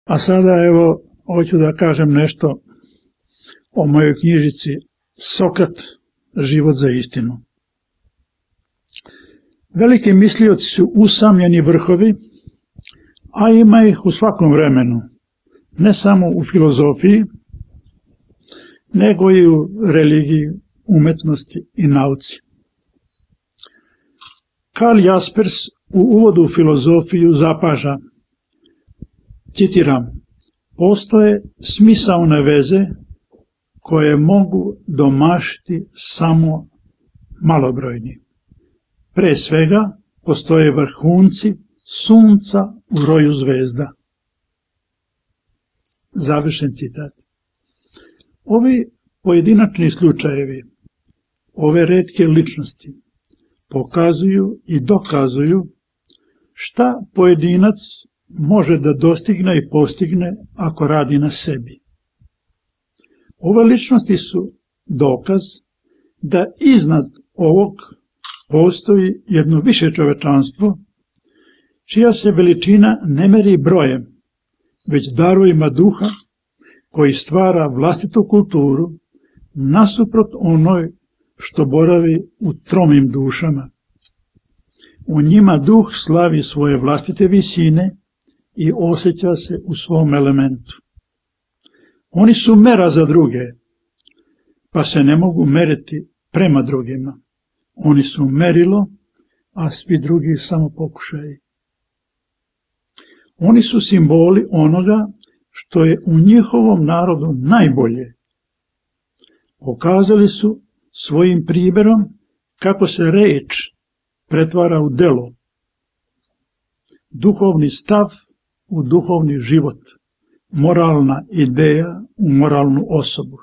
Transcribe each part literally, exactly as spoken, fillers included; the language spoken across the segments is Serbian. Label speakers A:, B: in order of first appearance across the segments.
A: A sada evo, hoću da kažem nešto o mojoj knjižici Sokrat, život za istinu. Veliki mislioci su usamljeni vrhovi, a ima ih u svakom vremenu, ne samo u filozofiji, nego i u religiji, umetnosti i nauci. Karl Jaspers u uvodu u filozofiju zapaža, citiram, postoje smisaone veze koje mogu domašiti samo malobrojni. Pre svega postoje vrhunci sunca u roju zvezda. Završen citat. Ovi pojedinačni slučajevi, ove retke ličnosti, pokazuju i dokazuju šta pojedinac može da dostigne i postigne ako radi na sebi. Ove ličnosti su dokaz da iznad ovog postoji jedno više čovečanstvo, čija se veličina ne meri brojem, već darovima duha koji stvara vlastitu kulturu nasuprot onoj što boravi u tromim dušama. U njima duh slavi svoje vlastite visine i osjeća se u svom elementu. Oni su mera za druge, pa se ne mogu meriti prema drugima. Oni su merilo, a svi drugi samo pokušaji. Oni su simboli onoga što je u njihovom narodu najbolje. Pokazali su svojim primjerom kako se reč pretvara u delo, duhovni stav u duhovni život, moralna ideja u moralnu osobu.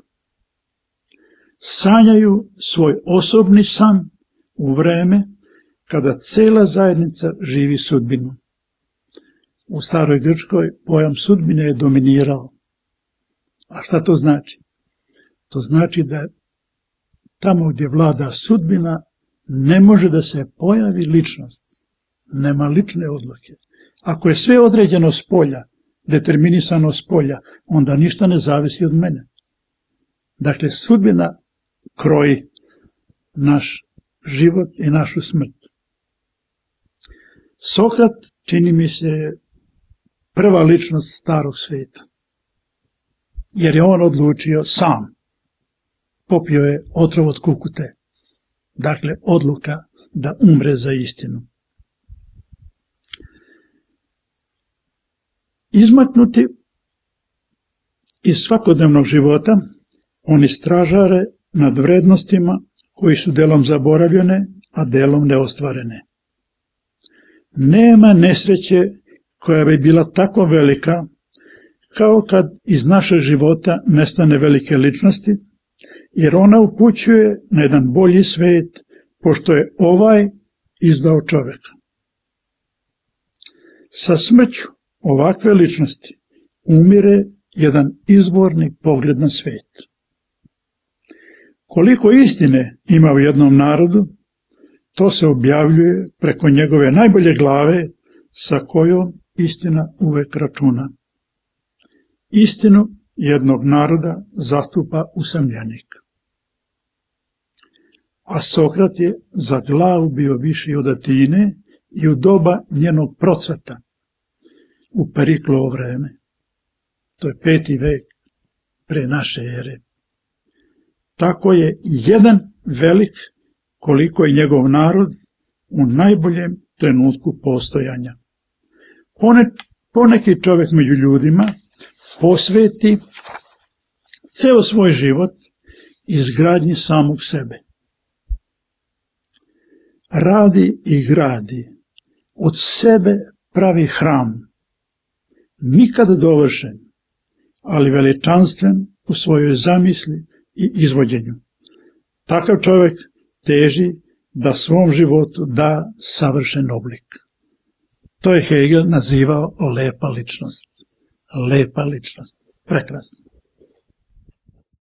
A: Sanjaju svoj osobni san u vreme kada cela zajednica živi sudbinu. U staroj Grčkoj pojam sudbine je dominirao. A šta to znači? To znači da tamo gdje vlada sudbina ne može da se pojavi ličnost. Nema lične odluke. Ako je sve određeno s polja, determinisano s polja, onda ništa ne zavisi od mene. Dakle, sudbina kroji naš život i našu smrt. Sokrat, čini mi se, prva ličnost starog svijeta. Jer je on odlučio sam. Popio je otrov od kukute. Dakle, odluka da umre za istinu. Izmaknuti iz svakodnevnog života, oni stražare nad vrednostima koji su delom zaboravljene, a delom neostvarene. Nema nesreće koja bi bila tako velika kao kad iz našeg života nestane velike ličnosti, jer ona upućuje na jedan bolji svet, pošto je ovaj izdao čoveka. Sa smrću ovakve ličnosti umire jedan izvorni pogled na svet. Koliko istine ima u jednom narodu, to se objavljuje preko njegove najbolje glave sa kojom istina uvek računa. Istinu jednog naroda zastupa usamljenik. A Sokrat je za glavu bio viši od Atine i u doba njenog procvata, u Periklovo vreme. To je peti vek pre naše ere. Tako je jedan velik koliko je njegov narod u najboljem trenutku postojanja. Poneki čovjek među ljudima posveti ceo svoj život izgradnji samog sebe. Radi i gradi, od sebe pravi hram, nikad dovršen, ali veličanstven u svojoj zamisli i izvođenju. Takav čovjek teži da svom životu da savršen oblik. To je Hegel nazivao lepa ličnost. Lepa ličnost. Prekrasno.